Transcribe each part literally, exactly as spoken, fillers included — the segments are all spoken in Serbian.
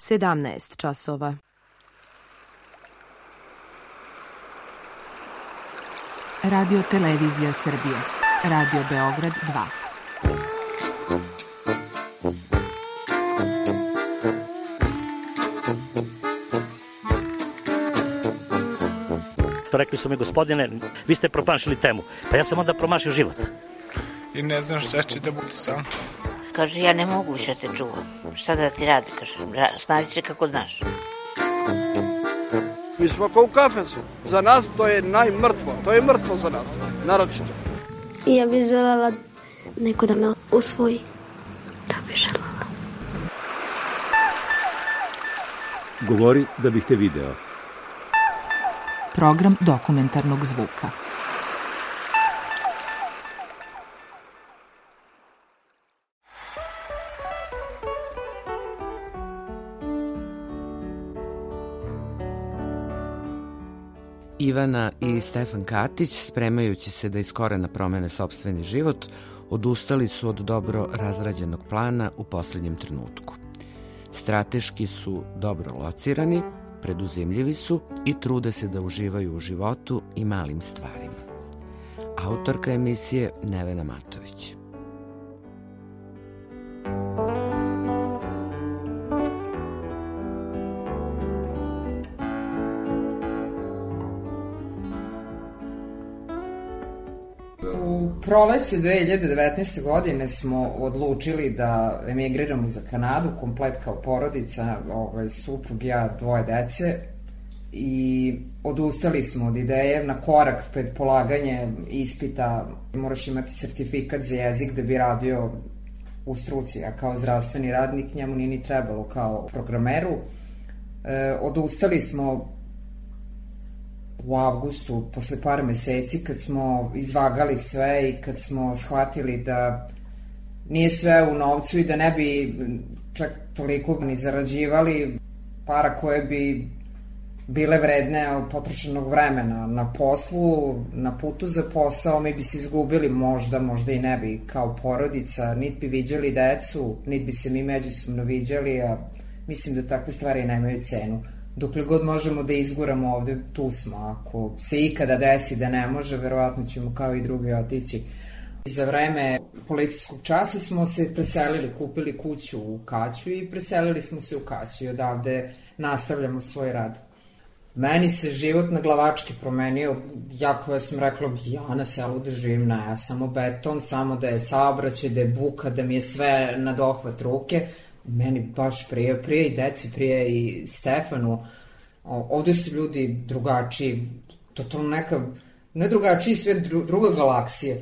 sedamnaest časova. Radio Televizija Srbije. Radio Beograd dva. Rekli su mi, gospodine, vi ste promašili temu. Pa ja sam onda promašio život. I ne znam šta će da bude sam. Kaže, ja ne mogu više te čuvam. Šta da ti radi, kaže, snađi se kako znaš. Mi smo kao u kafesu. Za nas to je najmrtvo. To je mrtvo za nas, naročito. Ja bih želela neko da me usvoji. To bih želela. Govori da bih te video. Program dokumentarnog zvuka. Ivana i Stefan Katić, spremajući se da iz korena promene sopstveni život, odustali su od dobro razrađenog plana u poslednjem trenutku. Strateški su dobro locirani, preduzimljivi su i trude se da uživaju u životu i malim stvarima. Autorka emisije Nevena Matović. U proleću dve hiljade devetnaeste. godine smo odlučili da emigriramo za Kanadu, komplet kao porodica, ovaj, suprug, ja, dvoje dece, i odustali smo od ideje. Na korak pred polaganje ispita moraš imati sertifikat za jezik da bi radio u struci, a kao zdravstveni radnik njemu nije ni trebalo kao programeru. E, odustali smo u avgustu, posle par meseci, kad smo izvagali sve i kad smo shvatili da nije sve u novcu i da ne bi čak toliko ni zarađivali para koje bi bile vredne potrošenog vremena na poslu, na putu za posao, mi bi se izgubili možda, možda i ne bi kao porodica, niti bi viđali decu, niti bi se mi međusobno viđali, a mislim da takve stvari nemaju cenu. Dokle god možemo da izguramo ovde, tu smo. Ako se ikada desi da ne može, verovatno ćemo kao i drugi otići. Za vreme policijskog časa smo se preselili, kupili kuću u Kaću i preselili smo se u Kaću i odavde nastavljamo svoj rad. Meni se život na glavački promenio, jako ja sam rekla, ja na selu da živim, ne, ja samo beton, samo da je saobraćaj, da je buka, da mi je sve na dohvat ruke. Meni baš prije, prije i deci, prije i Stefanu. Ovde su ljudi drugačiji, totalno neka, ne drugačiji svet, druga galaksija.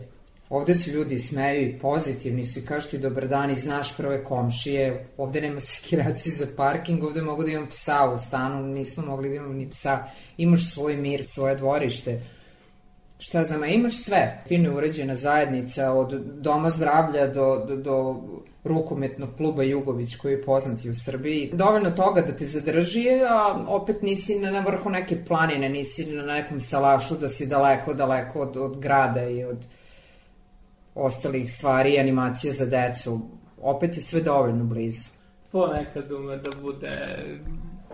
Ovde se ljudi smeju i pozitivni su i kažu ti dobar dan i znaš prve komšije. Ovde nema sekiracije za parking, ovde mogu da imam psa u stanu, nismo mogli da imamo ni psa. Imaš svoj mir, svoje dvorište. Šta znam, imaš sve. Fino uređena zajednica, od doma zdravlja do, do, do rukometnog kluba Jugović koji je poznat i u Srbiji. Dovoljno toga da te zadrži, a opet nisi na vrhu neke planine, nisi na nekom salašu da si daleko, daleko od, od grada i od ostalih stvari, animacije za decu. Opet je sve dovoljno blizu. Ponekad ume da bude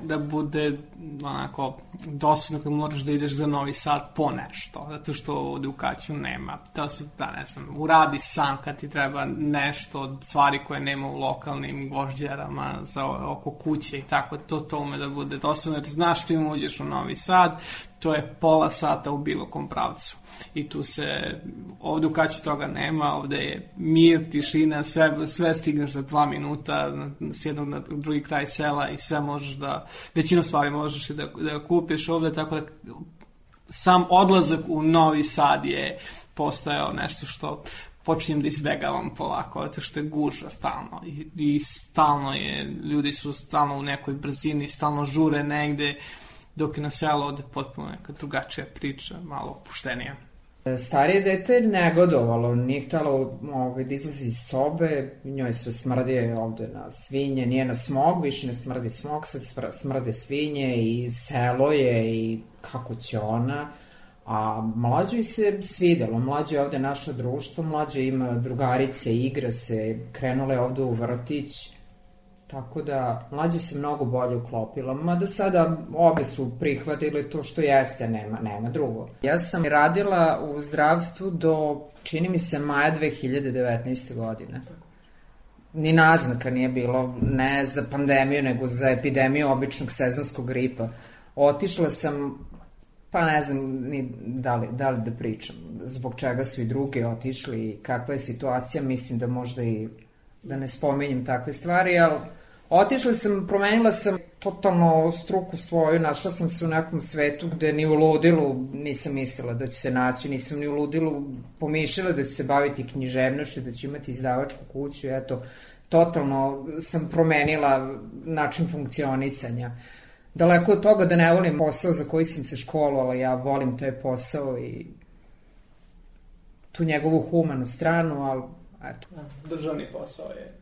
da bude onako dosadno kad moraš da ideš za Novi Sad po nešto, zato što ovde u Kaću nema. To su, da ne znam, uradi sam kad ti treba nešto od stvari koje nema u lokalnim gvožđerama za oko kuće i tako, to to ume da bude dosadno, jer znaš što im uđeš u Novi Sad, to je pola sata u bilo kom pravcu. I tu se, ovde u Kaću toga nema, ovde je mir, tišina, sve, sve stigneš za dva minuta s jednog na drugi kraj sela i sve možeš da, većinu stvari možeš da, da kupiš ovde, tako da sam odlazak u Novi Sad je postajao nešto što počinjem da izbegavam polako, zato što je gužva stalno i, i stalno je, ljudi su stalno u nekoj brzini, stalno žure negde, dok je na selo ovde potpuno neka drugačija priča, malo opuštenija. Starije dete je negodovalo, nije htjelo ovaj, da izlazi iz sobe, njoj sve smrdi ovde na svinje, nije na smog, više ne smrdi smog, sad smrde svinje i selo je i kako će ona. A mlađoj se svidelo, mlađe je ovde naše društvo, mlađe ima drugarice, igra se, krenula je ovde u vrtić, Tako da, mlađe se mnogo bolje uklopila, mada sada obe su prihvatile to što jeste, nema, nema drugo. Ja sam radila u zdravstvu do, čini mi se, maja dve hiljade devetnaeste. godine. Ni naznaka nije bilo, ne za pandemiju, nego za epidemiju običnog sezonskog gripa. Otišla sam, pa ne znam ni da li, da li da pričam, zbog čega su i drugi otišli i kakva je situacija, mislim da možda i da ne spominjem takve stvari, ali otišla sam, promenila sam totalno struku svoju, našla sam se u nekom svetu gde ni u ludilu nisam mislila da ću se naći, nisam ni u ludilu pomišljala da ću se baviti književnošću, da ću imati izdavačku kuću, eto, totalno sam promenila način funkcionisanja. Daleko od toga da ne volim posao za koji sam se školovala, ja volim taj posao i tu njegovu humanu stranu, ali eto. Državni posao je.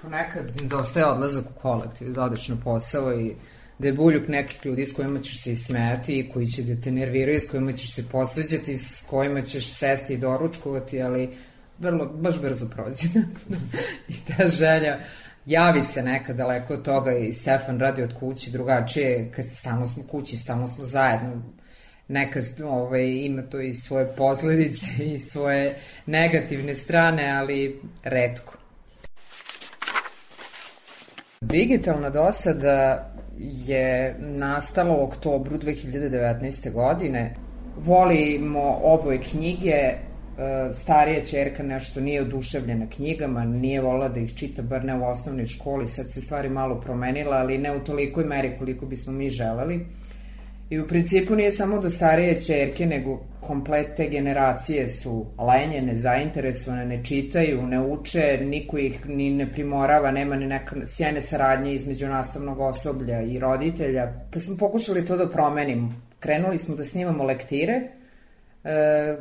Ponekad dosta je odlazak u kolektiv, da odeš na posao i da je buljuk nekih ljudi s kojima ćeš se ismejati, koji će da te nerviraju, s kojima ćeš se posveđati, s kojima ćeš sesti i doručkovati, ali vrlo, baš brzo prođe. I ta želja javi se nekad daleko od toga i Stefan radi od kući drugačije, kad stalno smo kući, stalno smo zajedno. Nekad ovaj, ima to i svoje posledice i svoje negativne strane, ali retko. Digitalna dosada je nastala u oktobru dve hiljade devetnaeste. godine. Volimo oboje knjige, starija ćerka nešto nije oduševljena knjigama, nije volila da ih čita, bar ne u osnovnoj školi, sad se stvari malo promenila, ali ne u tolikoj meri koliko bismo mi želeli. I u principu nije samo do starije ćerke, nego komplet te generacije su lenje, nezainteresovane, ne čitaju, ne uče, niko ih ni ne primorava, nema ni neka sjajne saradnje između nastavnog osoblja i roditelja. Pa smo pokušali to da promenimo. Krenuli smo da snimamo lektire, e,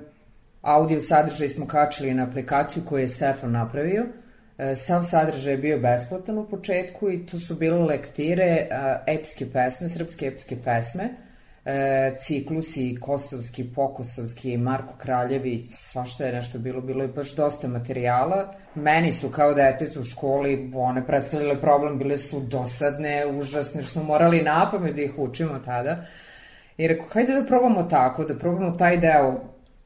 audio sadržaj smo kačili na aplikaciju koju je Stefan napravio. E, sav sadržaj je bio besplatan u početku i to su bile lektire, a, epske pesme, srpske epske pesme, E, ciklusi, kosovski, pokosovski, Marko Kraljević, svašta je nešto bilo, bilo je baš dosta materijala. Meni su kao detetu u školi one predstavljale problem, bile su dosadne, užasne, što smo morali napamet da ih učimo tada. I rekao, hajde da probamo tako, da probamo taj deo,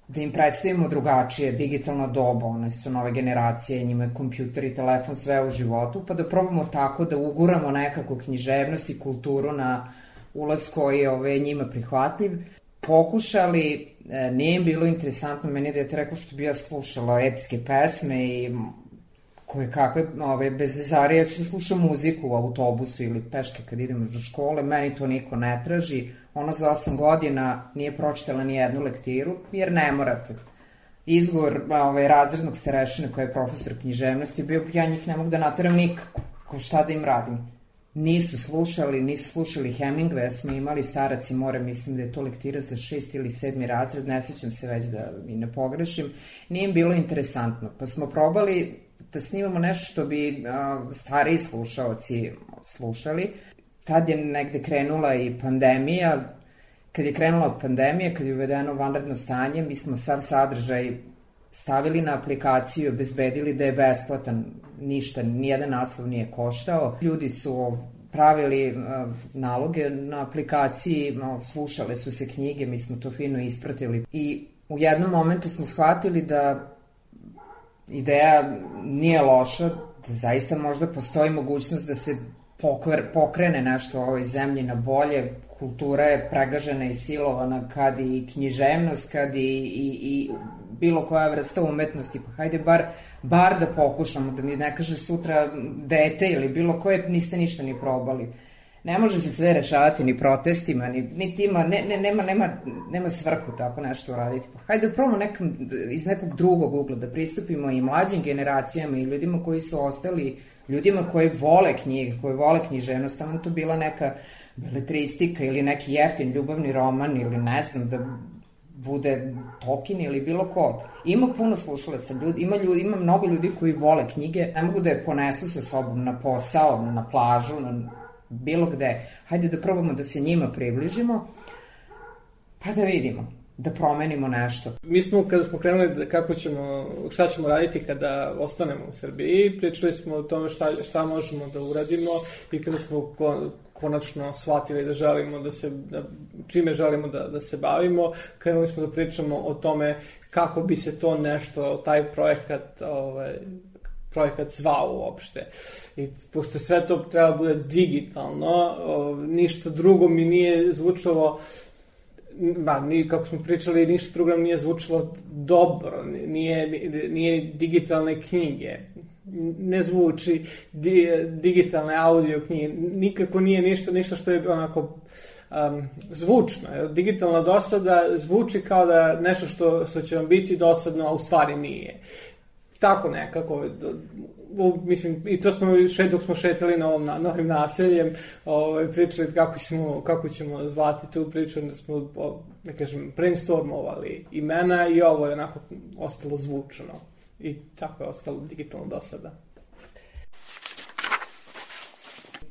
da im predstavimo drugačije, digitalno doba, one su nove generacije, njima je kompjuter i telefon sve u životu, pa da probamo tako da uguramo nekako književnost i kulturu na ulaz koji je ove, njima prihvatljiv. Pokušali, e, nije im bilo interesantno meni da je te rekao što bi ja slušala epske pesme i koje kakve ove, bezvezare, ja ću da slušam muziku u autobusu ili peške kad idemo do škole, meni to niko ne traži. Ona za osam godina nije pročitala ni jednu lektiru, jer ne morate. Izgovor ove, razrednog starešine koji je profesor književnosti bio, ja njih ne mogu da nateram nikako, ko šta da im radim. Nisu slušali, nisu slušali Hemingwaya, smo imali Starac i more, mislim da je to lektira za šest ili sedmi razred, ne sećam se već da mi ne pogrešim, nije im bilo interesantno, pa smo probali da snimamo nešto što bi a, stariji slušaoci slušali. Tad je negde krenula i pandemija, kad je krenula pandemija, kad je uvedeno vanredno stanje, mi smo sav sadržaj stavili na aplikaciju i obezbedili da je besplatan, ništa, nijedan naslov nije koštao. Ljudi su pravili uh, naloge na aplikaciji, no, slušale su se knjige, mi smo to fino ispratili i u jednom momentu smo shvatili da ideja nije loša, da zaista možda postoji mogućnost da se pokver, pokrene nešto u ovoj zemlji na bolje. Kultura je pregažena i silovana kad i književnost, kad i, i, i bilo koja vrsta umetnosti, pa hajde bar, bar da pokušamo, da mi ne kaže sutra dete ili bilo koje, niste ništa ni probali. Ne može se sve rešavati ni protestima, ni, ni tima, ne, ne, nema, nema, nema svrhu tako nešto uraditi. Pa hajde da probamo nekam, iz nekog drugog ugla, da pristupimo i mlađim generacijama i ljudima koji su ostali, ljudima koji vole knjige, koji vole književnost, tamo to bila neka beletristika ili neki jeftin ljubavni roman ili ne znam, da bude Tolkien ili bilo ko. Ima puno slušalaca, ljudi, ima, ljudi, ima mnogo ljudi koji vole knjige, ne mogu da je ponesu sa sobom na posao, na plažu, na bilo gde. Hajde da probamo da se njima približimo, pa da vidimo. da promenimo nešto. Mi smo, kada smo krenuli kako ćemo, šta ćemo raditi kada ostanemo u Srbiji, pričali smo o tome šta, šta možemo da uradimo i kada smo ko, konačno shvatili da želimo da se, da, čime želimo da, da se bavimo, krenuli smo da pričamo o tome kako bi se to nešto, taj projekat, ovaj, projekat zvao uopšte. I pošto sve to treba bude digitalno, o, ništa drugo mi nije zvučalo, ba, ni, kako smo pričali, ništa drugo nije zvučalo dobro, nije, nije digitalne knjige, ne zvuči di, digitalne audio knjige, nikako nije ništa, ništa što je onako um, zvučno. Digitalna dosada zvuči kao da nešto što, što će vam biti dosadno, a u stvari nije. Tako nekako, mislim, i to smo še, dok smo šetali na ovom, na, novim naseljem, ovaj, pričali kako ćemo, kako ćemo zvati tu priču, da smo, ne kažem, brainstormovali imena i ovo je onako ostalo zvučno. I tako je ostalo digitalno do sada.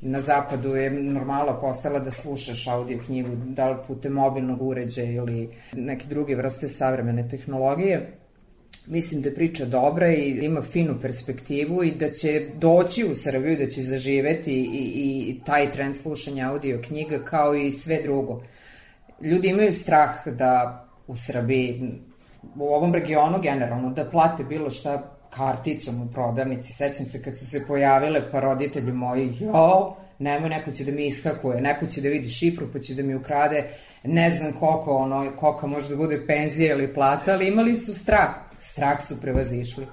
Na zapadu je normala postala da slušaš audio knjigu, da li putem mobilnog uređaja ili neke druge vrste savremene tehnologije. Mislim da je priča dobra i ima finu perspektivu i da će doći u Srbiju, da će zaživeti i, i taj trend slušanja audio knjiga kao i sve drugo. Ljudi imaju strah da u Srbiji, u ovom regionu generalno, da plate bilo šta karticom u prodavnici. Sećam se kad su se pojavile pa roditelji moji, jo, nemoj, neko će da mi iskakuje, neko će da vidi šifru pa će da mi ukrade, ne znam koliko, ono, koliko može da bude penzija ili plata, ali imali su strah. Strah su prevazišli.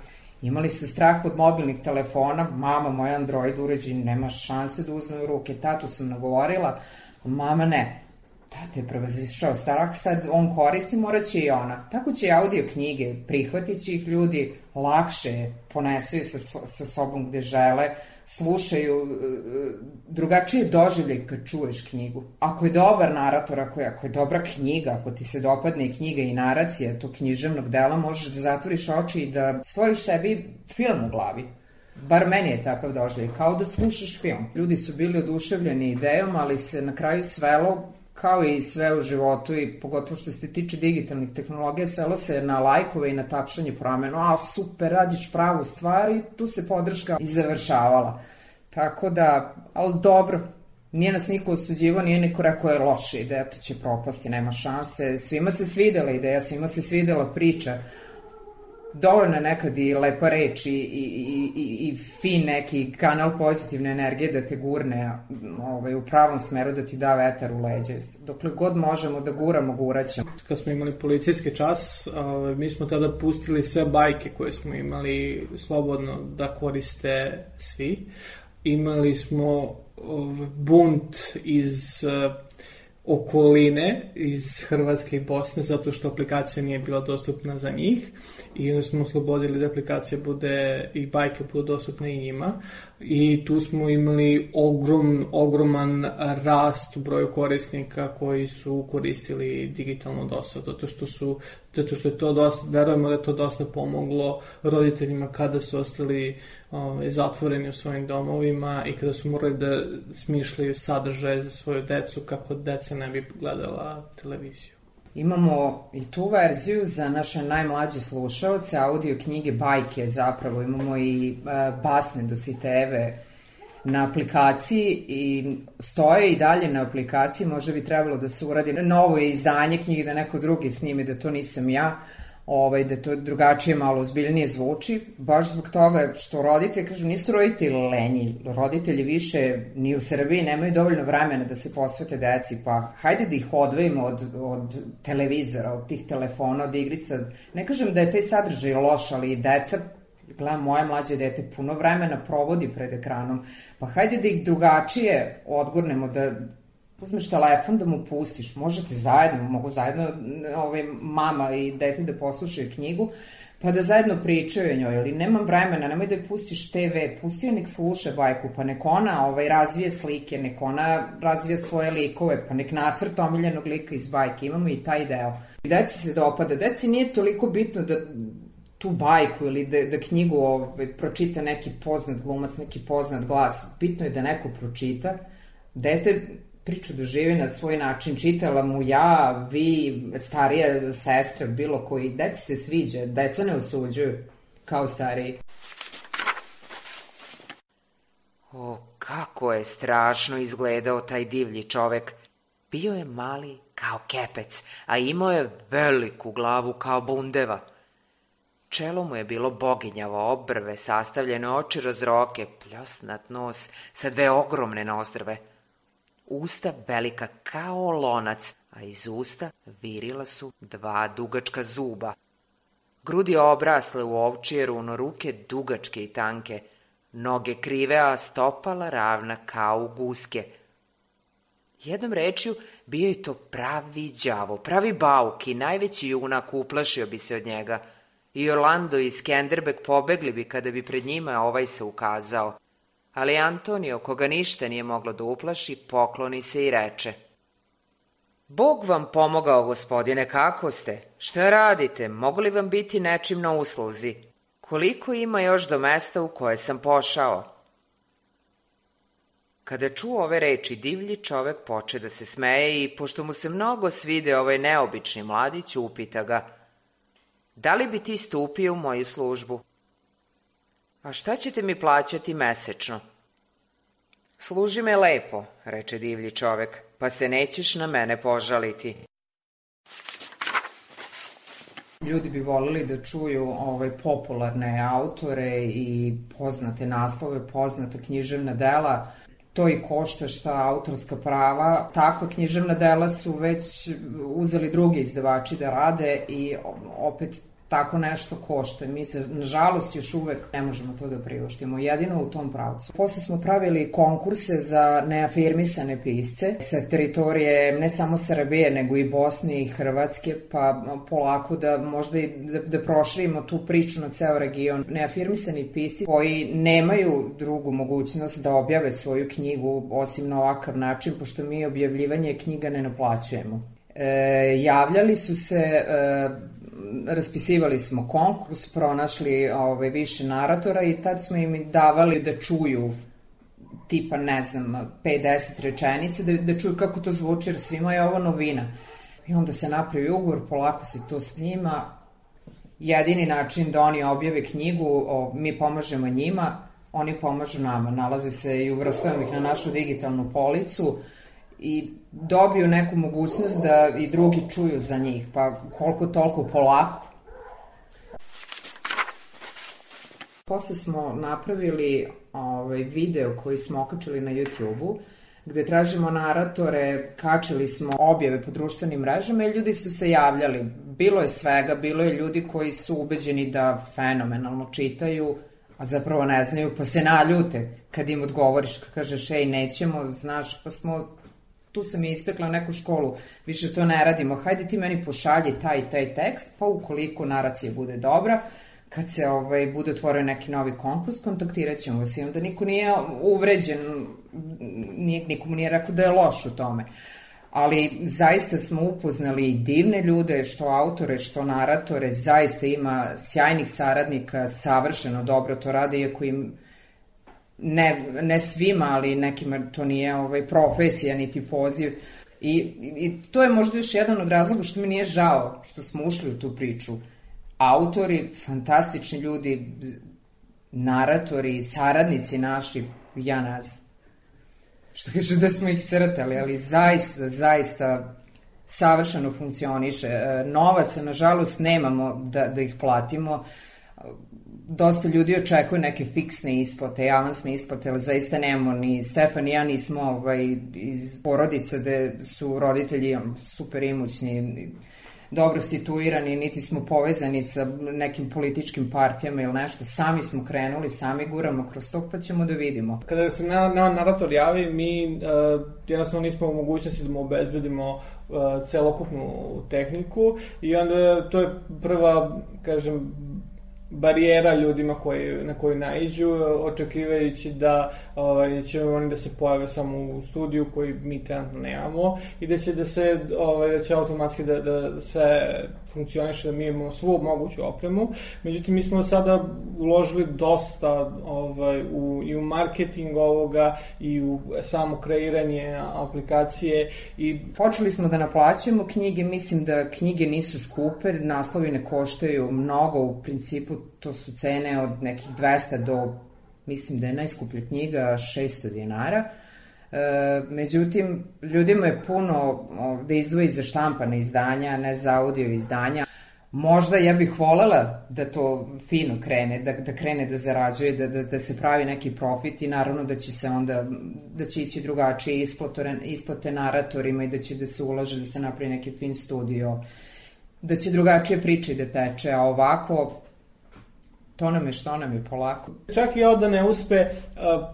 Imali su strah od mobilnih telefona, mama, moj Android uređaj, nema šanse da uzme u ruke, tatu sam nagovorila, mama ne. Tate je prevazišao strah, sad on koristi, morat će i ona. Tako će audio knjige, prihvatit će ih ljudi, lakše ponesu sa, sa sobom gde žele, slušaju, drugačije doživljaj kad čuješ knjigu. Ako je dobar narator, ako je, ako je dobra knjiga, ako ti se dopadne knjiga i naracija tog književnog dela, možeš da zatvoriš oči i da stvoriš sebi film u glavi. Bar meni je takav doživljaj, kao da slušaš film. Ljudi su bili oduševljeni idejom, ali se na kraju svelo, kao i sve u životu i pogotovo što se tiče digitalnih tehnologija, svelo se na lajkove i na tapšanje po ramenu, a super, radiš pravu stvar i tu se podrška i završavala. Tako da, ali dobro, nije nas niko osuđivo, nije niko rekao je loša ideja, to će propasti, nema šanse. Svima se svidela ideja, svima se svidela priča. Dovoljno je nekad i lepa reč i, i, i, i fin neki kanal pozitivne energije da te gurne ovaj, u pravom smeru, da ti da vetar u leđe. Dokle god možemo da guramo, guraćemo. Kad smo imali policijski čas, ovaj, mi smo tada pustili sve bajke koje smo imali slobodno da koriste svi. Imali smo ovaj, bunt iz okoline, iz Hrvatske i Bosne, zato što aplikacija nije bila dostupna za njih i onda smo oslobodili da aplikacija bude i bajke budu dostupne i njima i tu smo imali ogrom, ogroman rast u broju korisnika koji su koristili digitalno dosta, zato što su zato što je to dosta, verujemo da je to dosta pomoglo roditeljima kada su ostali ovaj, zatvoreni u svojim domovima i kada su morali da smišljaju sadržaje za svoju decu kako deca ne bi gledala televiziju. Imamo i tu verziju za naše najmlađe slušaoce, audio knjige, bajke zapravo, imamo i e, basne Dositejeve na aplikaciji i stoje i dalje na aplikaciji, možda bi trebalo da se uradi novo izdanje knjige, da neko drugi snimi, da to nisam ja, ovaj, da to drugačije malo ozbiljnije zvuči, baš zbog toga što roditelji, kažem, nisu roditelji lenji, roditelji više ni u Srbiji nemaju dovoljno vremena da se posvete deci, pa hajde da ih odvojimo od, od televizora, od tih telefona, od igrica. Ne kažem da je taj sadržaj loš, ali i deca, gledam, moje mlađe dete puno vremena provodi pred ekranom, pa hajde da ih drugačije odgurnemo, da uzmeš telefon da mu pustiš, možete zajedno, mogu zajedno ovaj, mama i dete da poslušaju knjigu, pa da zajedno pričaju o njoj, ali nemam vremena, nemoj da je pustiš te ve, pusti joj nek sluša bajku, pa nek ona ovaj, razvije slike, nek ona razvije svoje likove, pa nek nacrta omiljenog lika iz bajke, imamo i taj deo. I deci se dopada, deci nije toliko bitno da tu bajku ili da, da knjigu ovaj, pročita neki poznat glumac, neki poznat glas, bitno je da neko pročita, dete priču doživi na svoj način, čitala mu ja, vi, starije sestre, bilo koji, deci se sviđa, deca ne osuđuju kao stariji. O, kako je strašno izgledao taj divlji čovek. Bio je mali kao kepec, a imao je veliku glavu kao bundeva. Čelo mu je bilo boginjavo, obrve, sastavljene oči razroke, pljosnat nos sa dve ogromne nozdrve. Usta velika kao lonac, a iz usta virila su dva dugačka zuba. Grudi obrasle u ovčije runo, ruke dugačke i tanke, noge krive, a stopala ravna kao u guske. Jednom rečju, bio je to pravi đavo, pravi bauk i najveći junak, uplašio bi se od njega. I Orlando i Skenderbeg pobegli bi kada bi pred njima ovaj se ukazao. Ali Antonio, koga ništa nije moglo da uplaši, pokloni se i reče: Bog vam pomogao, gospodine, kako ste? Šta radite? Mogu li vam biti nečim na usluzi? Koliko ima još do mesta u koje sam pošao? Kada čuo ove reči, divlji čovek poče da se smeje i, pošto mu se mnogo svide ovaj neobični mladić, upita ga: Da li bi ti stupio u moju službu? A šta ćete mi plaćati mesečno? Služi me lepo, reče divlji čovek, pa se nećeš na mene požaliti. Ljudi bi volili da čuju ovaj, popularne autore i poznate naslove, poznate književna dela. To i košta šta autorska prava. Takva književna dela su već uzeli drugi izdavači da rade i opet tako nešto košta. Mi se, nažalost, još uvek ne možemo to da priuštimo, jedino u tom pravcu. Posle smo pravili konkurse za neafirmisane pisce sa teritorije ne samo Srbije, nego i Bosne i Hrvatske, pa polako da možda i da, da proširimo tu priču na ceo region. Neafirmisani pisci koji nemaju drugu mogućnost da objave svoju knjigu osim na ovakav način, pošto mi objavljivanje knjiga ne naplaćujemo. E, javljali su se... E, raspisivali smo konkurs, pronašli ovaj, više naratora i tad smo im davali da čuju tipa, ne znam, pet do deset rečenica, da, da čuju kako to zvuči, jer svima je ovo novina. I onda se napravi ugovor, polako se to snima. Jedini način da oni objave knjigu, o, mi pomažemo njima, oni pomažu nama. Nalaze se i uvrstavamo ih na našu digitalnu policu i dobiju neku mogućnost da i drugi čuju za njih, pa koliko toliko polako. Posle smo napravili ovaj, video koji smo okačili na YouTube-u, gde tražimo naratore, kačili smo objave po društvenim mrežama i ljudi su se javljali. Bilo je svega, bilo je ljudi koji su ubeđeni da fenomenalno čitaju, a zapravo ne znaju, pa se naljute kad im odgovoriš, kad kažeš, ej, nećemo, znaš, pa smo... Tu sam i ispekla neku školu, više to ne radimo, hajde ti meni pošalji taj i taj tekst, pa ukoliko naracija bude dobra, kad se ovaj, bude otvorio neki novi konkurs, kontaktirat ćemo vas i onda niko nije uvređen, nije, nikomu nije rekao da je loš u tome. Ali zaista smo upoznali divne ljude, što autore, što naratore, zaista ima sjajnih saradnika, savršeno dobro to rade, iako im Ne, ne svima, ali nekima to nije ovaj, profesija, niti poziv. I, I to je možda još jedan od razloga što mi nije žao što smo ušli u tu priču. Autori, fantastični ljudi, naratori, saradnici naši, ja ne znam. Što kaže da smo ih crtali, ali zaista, zaista savršeno funkcioniše. Novaca, nažalost, nemamo da, da ih platimo. Dosta ljudi očekuje neke fiksne isplate, avansne isplate, ali zaista nemamo, ni Stefan i ja nismo ovaj, iz porodica gde su roditelji super imućni, dobro situirani, niti smo povezani sa nekim političkim partijama ili nešto, sami smo krenuli, sami guramo kroz to, pa ćemo da vidimo. Kada se na, na narator javi, mi uh, jednostavno nismo u mogućnosti da mu obezbedimo uh, celokupnu tehniku i onda to je prva, kažem, barijera ljudima koji, na koju naiđu, očekivajući da ovaj, će oni da se pojave samo u studiju koji mi trenutno nemamo i da će da se ovaj, da će automatski da, da sve funkcioniše, da mi imamo svu moguću opremu. Međutim, mi smo sada uložili dosta ovaj, u, i u marketing ovoga i u samo kreiranje aplikacije. I počeli smo da naplaćujemo knjige, mislim da knjige nisu skupe, naslovi ne koštaju mnogo, u principu to su cene od nekih dvesta do, mislim da je najskuplja knjiga šesto dinara. E, međutim, ljudima je puno da izdvoji za štampane izdanja, ne za audio izdanja. Možda ja bih volela da to fino krene, da, da krene da zarađuje, da, da, da se pravi neki profit i naravno da će se onda, da će ići drugačije isplate, isplate naratorima i da će da se ulaže, da se napravi neki fin studio, da će drugačije priče da teče, a ovako to nam je što nam je polako. Čak i ovo da ne uspe,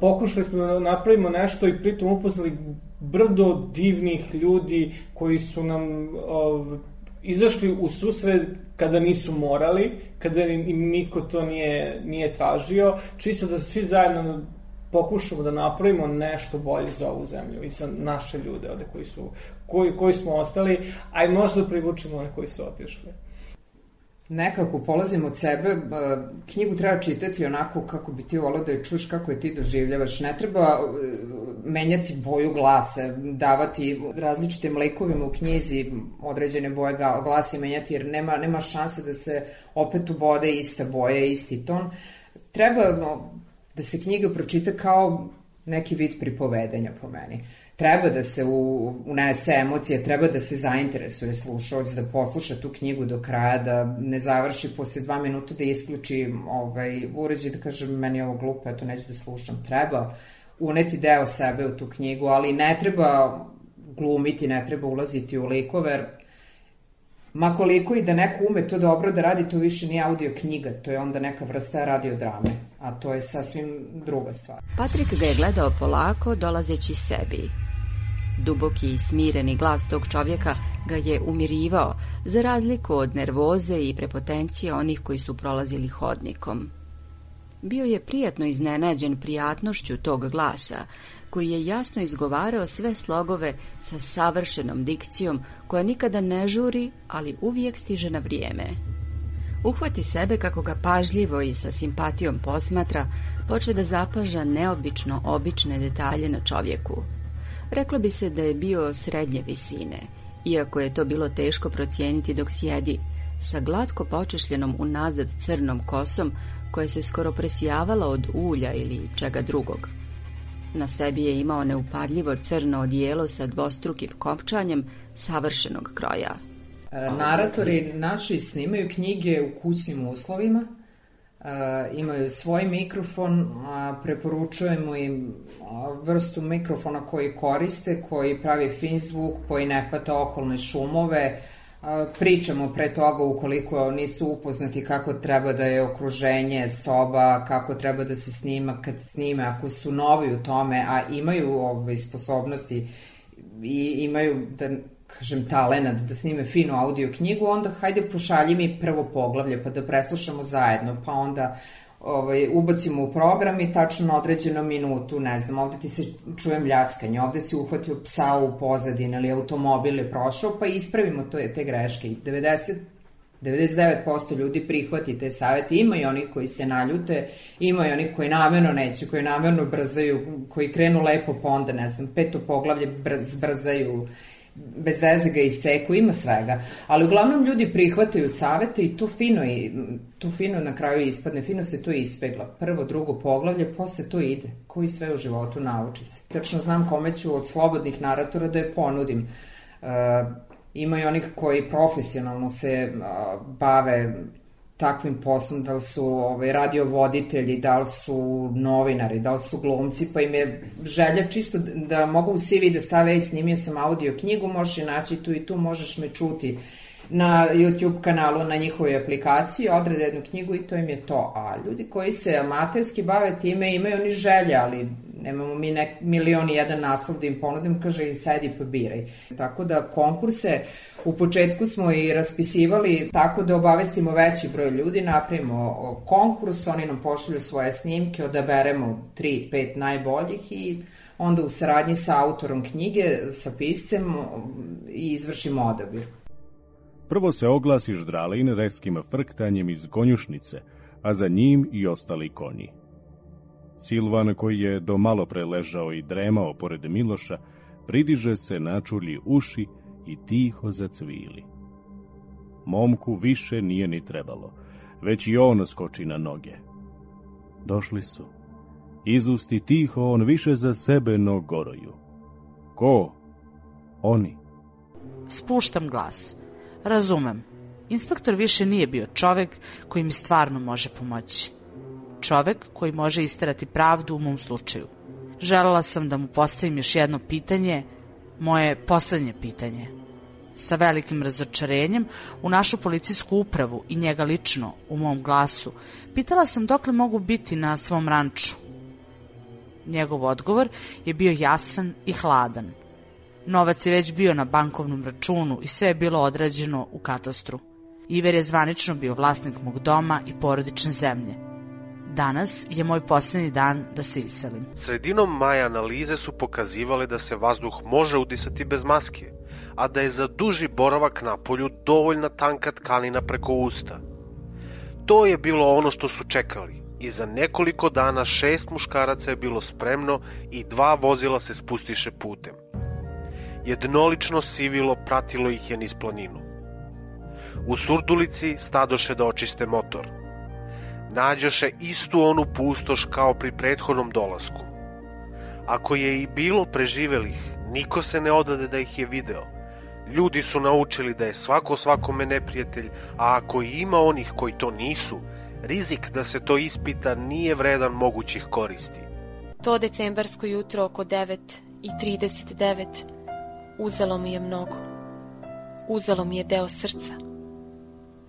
pokušali smo da napravimo nešto i pritom upoznali brdo divnih ljudi koji su nam ov, izašli u susret kada nisu morali, kada im niko to nije, nije tražio, čisto da svi zajedno pokušamo da napravimo nešto bolje za ovu zemlju i za naše ljude ovde koji, su, koji, koji smo ostali, a i možda privučemo one koji su otišli. Nekako polazim od sebe, knjigu treba čitati onako kako bi ti volao da je čuš, kako je ti doživljavaš. Ne treba menjati boju glasa, davati različitim likovima u knjizi određene boje glasa i menjati, jer nema, nema šanse da se opet ubode ista boja, isti ton. Treba da se knjiga pročita kao neki vid pripovedanja po meni. Treba da se unese emocije, treba da se zainteresuje slušalac, da posluša tu knjigu do kraja, da ne završi posle dva minuta, da isključi ovaj, uređaj, da kaže meni je ovo glupo, eto neću da slušam. Treba uneti deo sebe u tu knjigu, ali ne treba glumiti, ne treba ulaziti u likove, ma koliko i da neko ume to dobro da radi, to više nije audio knjiga, to je onda neka vrsta radiodrame, a to je sasvim druga stvar. Patrik ga je gledao polako, dolazeći sebi. Duboki i smireni glas tog čovjeka ga je umirivao, za razliku od nervoze i prepotencije onih koji su prolazili hodnikom. Bio je prijatno iznenađen prijatnošću tog glasa, koji je jasno izgovarao sve slogove sa savršenom dikcijom, koja nikada ne žuri, ali uvijek stiže na vrijeme. Uhvati sebe kako ga pažljivo i sa simpatijom posmatra, poče da zapaža neobično obične detalje na čovjeku. Reklo bi se da je bio srednje visine, iako je to bilo teško procijeniti dok sjedi, sa glatko počešljenom unazad crnom kosom, koja se skoro presijavala od ulja ili čega drugog. Na sebi je imao neupadljivo crno odijelo sa dvostrukim kopčanjem savršenog kroja. Naratori naši snimaju knjige u kućnim uslovima, imaju svoj mikrofon, preporučujemo im vrstu mikrofona koji koriste, koji pravi fin zvuk, koji ne hvata okolne šumove. Pričamo pre toga ukoliko nisu upoznati kako treba da je okruženje, soba, kako treba da se snima kad snime, ako su novi u tome, a imaju ove sposobnosti i imaju, da kažem, talenat da snime finu audio knjigu, onda hajde pošalji mi prvo poglavlje pa da preslušamo zajedno, pa onda ovaj, ubacimo u program i tačno na određenu minutu, ne znam, ovde ti se čuje mljackanje, ovde si uhvatio psa u pozadini ili automobil je prošao, pa ispravimo to, te greške. devedeset, devedeset devet posto ljudi prihvati te savete, ima i oni koji se naljute, ima i oni koji namerno neće, koji namerno brzaju, koji krenu lepo, pa onda, ne znam, peto poglavlje brz, brzaju, bez veze ga iseku, ima svega, ali uglavnom ljudi prihvataju savete i to fino, i, to fino na kraju ispadne, fino se to ispegla. Prvo, drugo poglavlje, posle to ide, koji sve u životu nauči se. Tačno znam kome ću od slobodnih naratora da je ponudim. E, ima i onih koji profesionalno se a, bave takvim poslom, da li su ovaj, radiovoditelji, da li su novinari, da li su glumci, pa im je želja čisto da mogu u C V da stave, ej, snimio sam audio knjigu, možeš je naći tu i tu, možeš me čuti na YouTube kanalu, na njihovoj aplikaciji, odrade jednu knjigu i to im je to. A ljudi koji se amaterski bave time imaju oni želje, ali nemamo mi nek, milion i jedan naslov da im ponudim, kaže i sedi pa biraj. Tako da konkurse u početku smo i raspisivali tako da obavestimo veći broj ljudi, napravimo konkurs, oni nam pošalju svoje snimke, odaberemo tri, pet najboljih i onda u saradnji sa autorom knjige, sa piscem i izvršimo odabir. Prvo se oglasi Ždralin reskim frktanjem iz konjušnice, a za njim i ostali konji. Silvan, koji je do malo pre ležao i dremao pored Miloša, pridiže se, načulji uši i tiho zacvili. Momku više nije ni trebalo, već i on skoči na noge. Došli su. Izusti tiho on više za sebe no goroju. Ko? Oni. Spuštam glas. Razumem. Inspektor više nije bio čovek koji mi stvarno može pomoći. Čovek koji može isterati pravdu u mom slučaju. Želela sam da mu postavim još jedno pitanje, moje poslednje pitanje. Sa velikim razočarenjem u našu policijsku upravu i njega lično u mom glasu pitala sam dokle mogu biti na svom ranču. Njegov odgovor je bio jasan i hladan. Novac je već bio na bankovnom računu i sve je bilo odrađeno u katastru. Iver je zvanično bio vlasnik mog doma i porodične zemlje. Danas je moj posljednji dan da se iselim. Sredinom maja analize su pokazivale da se vazduh može udisati bez maske, a da je za duži boravak na polju dovoljna tanka tkanina preko usta. To je bilo ono što su čekali i za nekoliko dana šest muškaraca je bilo spremno i dva vozila se spustiše putem. Jednolično sivilo pratilo ih je niz planinu. U Surdulici stadoše da očiste motor. Nađoše istu onu pustoš kao pri prethodnom dolasku. Ako je i bilo preživelih, niko se ne odade da ih je video. Ljudi su naučili da je svako svakome neprijatelj, a ako ima onih koji to nisu, rizik da se to ispita nije vredan mogućih koristi. To decembarsko jutro oko devet i trideset devet uzelo mi je mnogo. Uzelo mi je deo srca.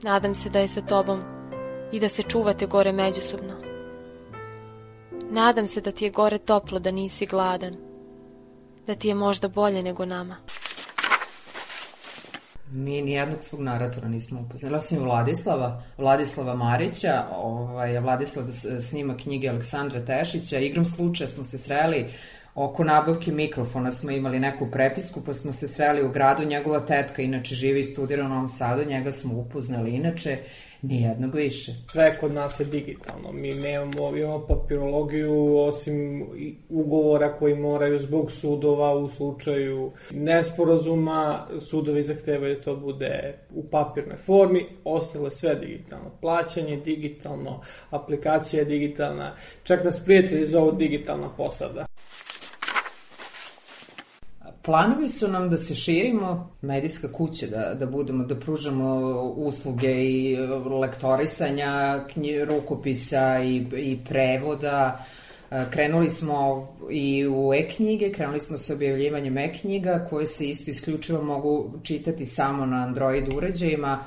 Nadam se da je sa tobom i da se čuvate gore međusobno. Nadam se da ti je gore toplo, da nisi gladan. Da ti je možda bolje nego nama. Mi nijednog svog naratora nismo upoznali. Osim Vladislava, Vladislava Marića, ovaj, Vladislav snima knjige Aleksandra Tešića. Igrom slučaja smo se sreli oko nabavke mikrofona, smo imali neku prepisku, pa smo se sreli u gradu. Njegova tetka inače živi i studira u Novom Sadu, njega smo upoznali inače. Nijednog više. Sve kod nas je digitalno. Mi nemamo, imamo papirologiju osim ugovora koji moraju zbog sudova u slučaju nesporazuma. Sudovi zahtevaju da to bude u papirnoj formi. Ostalo sve digitalno. Plaćanje digitalno, aplikacija je digitalna. Čak nas prijatelji zovu digitalna posada. Planovi su nam da se širimo, medijska kuća, da, da budemo, da pružamo usluge i lektorisanja, knji, rukopisa i, i prevoda. Krenuli smo i u e-knjige, krenuli smo sa objavljivanjem e-knjiga koje se isto isključivo mogu čitati samo na Android uređajima.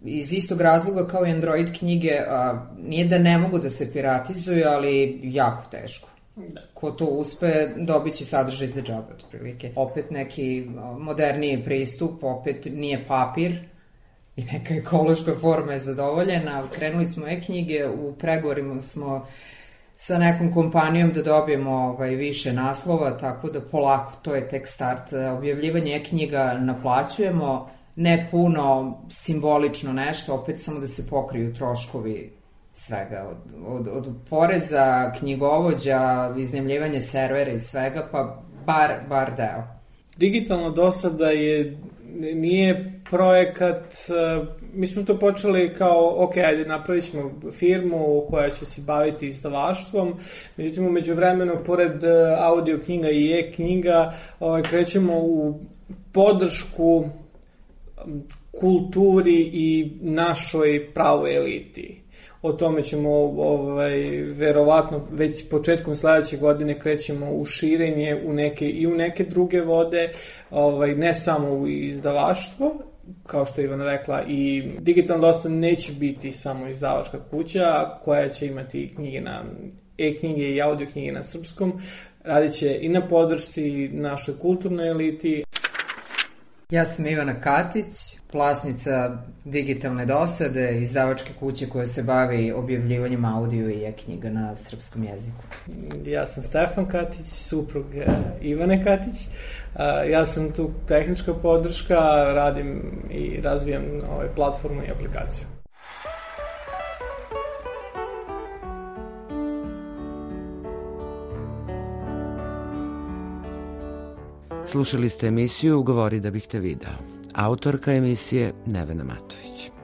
Iz istog razloga kao i Android knjige, a, nije da ne mogu da se piratizuju, ali jako teško. Da. Ko to uspe, dobit će sadržaj za džabe, otprilike. Opet neki moderniji pristup, opet nije papir i neka ekološka forma je zadovoljena. Krenuli smo e-knjige, u pregovorima smo sa nekom kompanijom da dobijemo ovaj, više naslova, tako da polako, to je tek start. Objavljivanje e-knjiga naplaćujemo, ne puno, simbolično nešto, opet samo da se pokriju troškovi svega, od, od, od poreza, knjigovođa, iznajmljivanje servera i svega, pa bar, bar deo. Digitalno do sada je, nije projekat, mi smo to počeli kao, ok, ajde, napravit ćemo firmu koja će se baviti izdavaštvom, međutim, umeđu vremenu, pored audio knjiga i e-knjiga, ovaj, krećemo u podršku kulturi i našoj pravoj eliti. O tome ćemo ovaj, verovatno već početkom sledeće godine krećemo u širenje u neke, i u neke druge vode, ovaj, ne samo u izdavaštvo. kao što je Ivana rekla, i digitalna dostava neće biti samo izdavačka kuća koja će imati knjige na e-knjige i audio knjige na srpskom. Radit će i na podršci našoj kulturnoj eliti. Ja sam Ivana Katić, vlasnica digitalne dosade, izdavačke kuće koja se bavi objavljivanjem audio i e-knjiga na srpskom jeziku. Ja sam Stefan Katić, suprug Ivane Katić. Ja sam tu tehnička podrška, radim i razvijam ovaj platformu i aplikaciju. Slušali ste emisiju Govori da bih te video. Autorka emisije Nevena Matović.